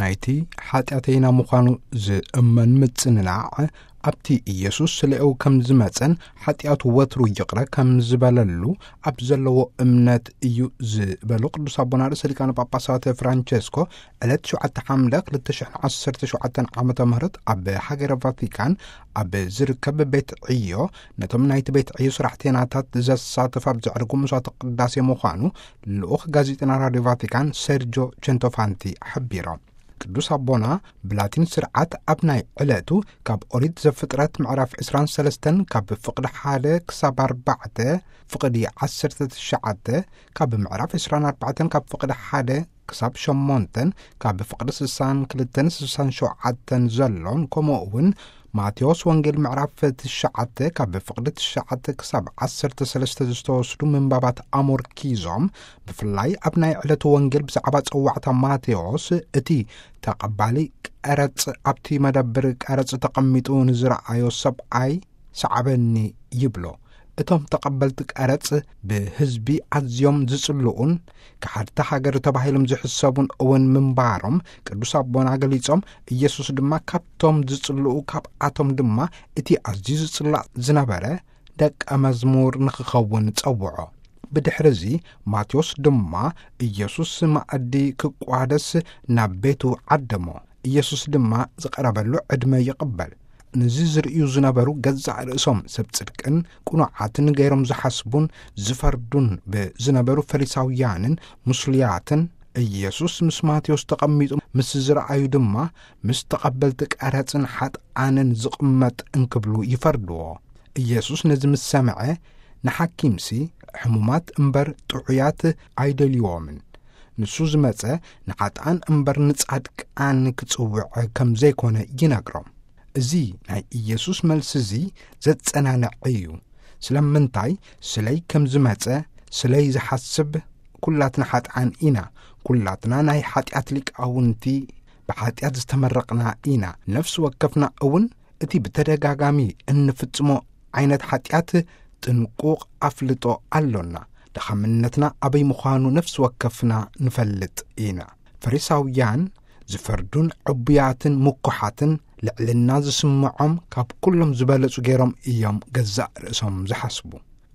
ናይቲ ሓጢኣተይና ምዃኑ ዝእመን ምጽንናዕ፣ ኣብቲ ኢየሱስ ስለ እው ከም ዝመጸን ሓጢኣቱ ወትሩ ይቕረ ከም ዝበለሉ ኣብ ዘለዎ እምነት እዩ ዝበሉ ቅዱስ ኣቦና ርእሰ ሊቃነ ጳጳሳት ፍራንቸስኮ፣ ዕለት ሸውዓተ ሓምለ ክልተ ሽሕን ዓሰርተ ሸውዓተን ዓመተ ምህረት ኣብ ሃገረ ቫቲካን ኣብ ዝርከብ ቤት ዕዮ ነቶም ናይቲ ቤት ዕዮ ስራሕተይናታት ዘሳተፍ ኣብ ዘዕርጉ መስዋዕተ ቅዳሴ ምዃኑ ልኡኽ ጋዜጠና ራድዮ ቫቲካን ሴርጆ ቸንቶፋንቲ ሓቢሮም። ቅዱስ ኣቦና ብላቲን ስርዓት ኣብ ናይ ዕለቱ ካብ ኦሪት ዘፍጥረት ምዕራፍ ዕስራን ሰለስተን ካብ ፍቕዲ ሓደ ክሳብ ኣርባዕተ፣ ፍቕዲ ዓሰርተ ትሽዓተ ካብ ምዕራፍ ዕስራን ኣርባዕተን ካብ ፍቕዲ ሓደ ክሳብ ሸሞንተን ካብ ፍቕዲ ስሳን ክልተን ስሳን ሸውዓተን ዘሎን፣ ከምኡ እውን ማቴዎስ ወንጌል ምዕራፍ ትሽዓተ ካብ ፍቕዲ ትሽዓተ ክሳብ ዓሰርተ ሰለስተ ዝተወስዱ ምንባባት ኣሞርኪዞም፣ ብፍላይ ኣብ ናይ ዕለቱ ወንጌል ብዛዕባ ጸዋዕታ ማቴዎስ፣ እቲ ተቐባሊ ቀረጽ ኣብቲ መደብር ቀረጽ ተቐሚጡ ንዝረኣዮ ሰብኣይ፣ "ሰዓበኒ" ይብሎ። እቶም ተቐበልቲ ቀረጽ ብህዝቢ ኣዝዮም ዝጽልኡን፣ ከሓድቲ ሃገር ተባሂሎም ዝሕሰቡን እውን ምንባሮም ቅዱስ ኣቦና ገሊጾም፣ ኢየሱስ ድማ ካብቶም ዝጽልኡ፣ ካብኣቶም ድማ እቲ ኣዝዩ ዝጽላእ ዝነበረ ደቀ መዝሙር ንኽኸውን ጸውዖ። ብድሕርዚ ማቴዎስ ድማ ኢየሱስ መኣዲ ክቋደስ ናብ ቤቱ ዓደሞ። ኢየሱስ ድማ ዝቐረበሉ ዕድመ ይቕበል። ነዚ ዝርእዩ ዝነበሩ ገዛእ ርእሶም ሰብ ጽድቅን ቅኑዓትን ገይሮም ዝሓስቡን ዝፈርዱን ብዝነበሩ ፈሪሳውያንን ምስሉያትን፣ ኢየሱስ ምስ ማቴዎስ ተቐሚጡ ምስ ዝረኣዩ ድማ፣ ምስ ተቐበልቲ ቀረጽን ሓጥኣንን ዝቕመጥ እንክብሉ ይፈርድዎ። ኢየሱስ ነዚ ምስ ሰምዐ፣ ንሓኪምሲ ሕሙማት እምበር ጥዑያት ኣይደልይዎምን። ንሱ ዝመጸ ንሓጥኣን እምበር ንጻድቃን ክጽውዕ ከም ዘይኮነ ይነግሮም። እዚ ናይ ኢየሱስ መልሲ እዚ ዘጸናንዕ እዩ። ስለምንታይ? ስለይ ከም ዝመጸ፣ ስለይ ዝሓስብ፣ ኩላትና ሓጥኣን ኢና። ኩላትና ናይ ሓጢኣት ሊቃውንቲ፣ ብሓጢኣት ዝተመረቕና ኢና። ነፍሲ ወከፍና እውን እቲ ብተደጋጋሚ እንፍጽሞ ዓይነት ሓጢኣት ጥንቁቕ ኣፍልጦ ኣሎና። ድኻምነትና ኣበይ ምዃኑ ነፍሲ ወከፍና ንፈልጥ ኢና። ፈሪሳውያን ዝፈርዱን ዕቡያትን ምኩሓትን፣ ልዕልና ዝስምዖም፣ ካብ ኩሎም ዝበለጹ ገይሮም እዮም ገዛእ ርእሶም ዝሓስቡ።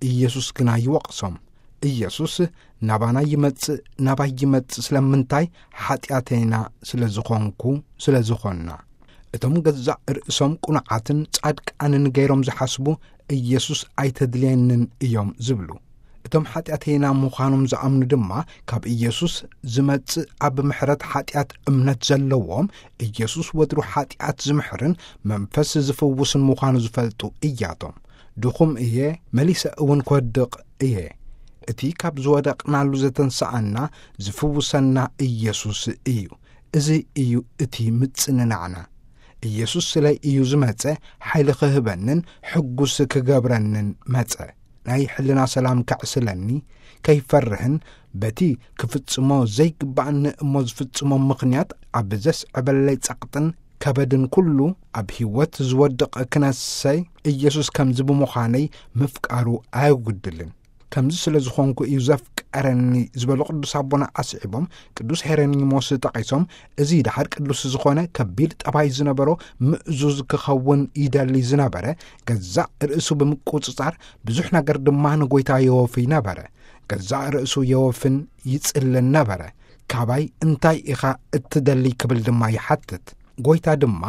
ኢየሱስ ግና ይወቕሶም። ኢየሱስ ናባና ይመጽእ፣ ናባይ ይመጽእ ስለምንታይ? ሓጢኣተይና ስለ ዝኾንኩ፣ ስለ ዝኾንና። እቶም ገዛእ ርእሶም ቅኑዓትን ጻድቃንን ገይሮም ዝሓስቡ፣ ኢየሱስ ኣይተድልየንን እዮም ዝብሉ። እቶም ሓጢኣተይና ምዃኖም ዝኣምኑ ድማ፣ ካብ ኢየሱስ ዝመጽእ ኣብ ምሕረት ሓጢኣት እምነት ዘለዎም፣ ኢየሱስ ወትሩ ሓጢኣት ዝምሕርን መንፈስ ዝፍውስን ምዃኑ ዝፈልጡ እያቶም። ድኹም እየ፣ መሊሰ እውን ክወድቕ እየ። እቲ ካብ ዝወደቕናሉ ዘተንስኣና፣ ዝፍውሰና ኢየሱስ እዩ። እዚ እዩ እቲ ምጽንናዕና። ኢየሱስ ስለይ እዩ ዝመጸ፣ ሓይሊ ክህበንን ሕጉስ ክገብረንን መጸ። ናይ ሕልና ሰላም ከዕስለኒ፣ ከይፈርህን በቲ ክፍጽሞ ዘይግባእኒ እሞ ዝፍጽሞ ምኽንያት ኣብ ዘስዕበለይ ጸቕጥን ከበድን ኩሉ፣ ኣብ ህይወት ዝወድቕ ክነሰይ፣ ኢየሱስ ከምዚ ብምዃነይ ምፍቃሩ ኣየጉድልን። ከምዚ ስለ ዝኾንኩ እዩ ዘፍቀረኒ ዝበሉ ቅዱስ ኣቦና ኣስዒቦም፣ ቅዱስ ሄረኒሞስ ጠቒሶም፣ እዚ ደሓር ቅዱስ ዝኾነ ከቢድ ጠባይ ዝነበሮ ምእዙዝ ክኸውን ይደሊ ዝነበረ፣ ገዛእ ርእሱ ብምቁጽጻር ብዙሕ ነገር ድማ ንጎይታ የወፊ ነበረ። ገዛእ ርእሱ የወፍን ይጽልን ነበረ። "ካባይ እንታይ ኢኻ እትደሊ?" ክብል ድማ ይሓትት። ጎይታ ድማ፣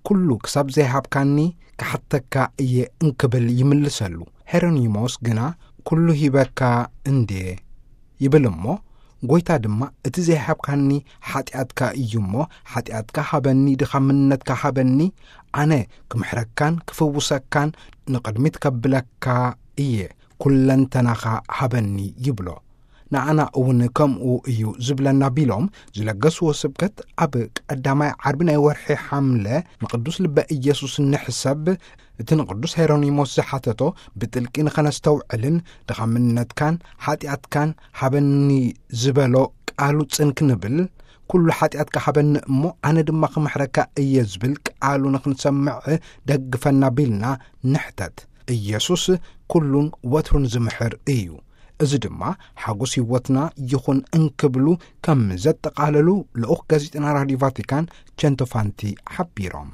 "ኩሉ ክሳብ ዘይሃብካኒ ክሓተካ እየ" እንክብል ይምልሰሉ። ሄሮኒሞስ ግና፣ "ኩሉ ሂበካ እንድየ" ይብል እሞ፣ ጎይታ ድማ፣ "እቲ ዘይሃብካኒ ሓጢኣትካ እዩ እሞ፣ ሓጢኣትካ ሃበኒ፣ ድኻምነትካ ሃበኒ፣ ኣነ ክምሕረካን ክፍውሰካን ንቕድሚት ከብለካ እየ፣ ኩለንተናኻ ሃበኒ" ይብሎ። ንኣና እውን ከምኡ እዩ ዝብለና ቢሎም ዝለገስዎ ስብከት፣ ኣብ ቀዳማይ ዓርቢ ናይ ወርሒ ሓምለ ንቅዱስ ልበ ኢየሱስ ንሕሰብ፣ እቲ ንቅዱስ ሄሮኒሞስ ዝሓተቶ ብጥልቂ ንኸነስተውዕልን ድኻምነትካን ሓጢኣትካን ሃበኒ ዝበሎ ቃሉ ጽን ክንብል፣ "ኩሉ ሓጢኣትካ ሃበኒ እሞ ኣነ ድማ ክምሕረካ እየ" ዝብል ቃሉ ንኽንሰምዕ ደግፈና ቢልና ንሕተት። ኢየሱስ ኩሉን ወትሩን ዝምሕር እዩ። እዚ ድማ ሓጎስ ህይወትና ይኹን እንክብሉ ከም ዘጠቓለሉ ልኡኽ ጋዜጠና ራዲዮ ቫቲካን ቸንቶፋንቲ ሓቢሮም።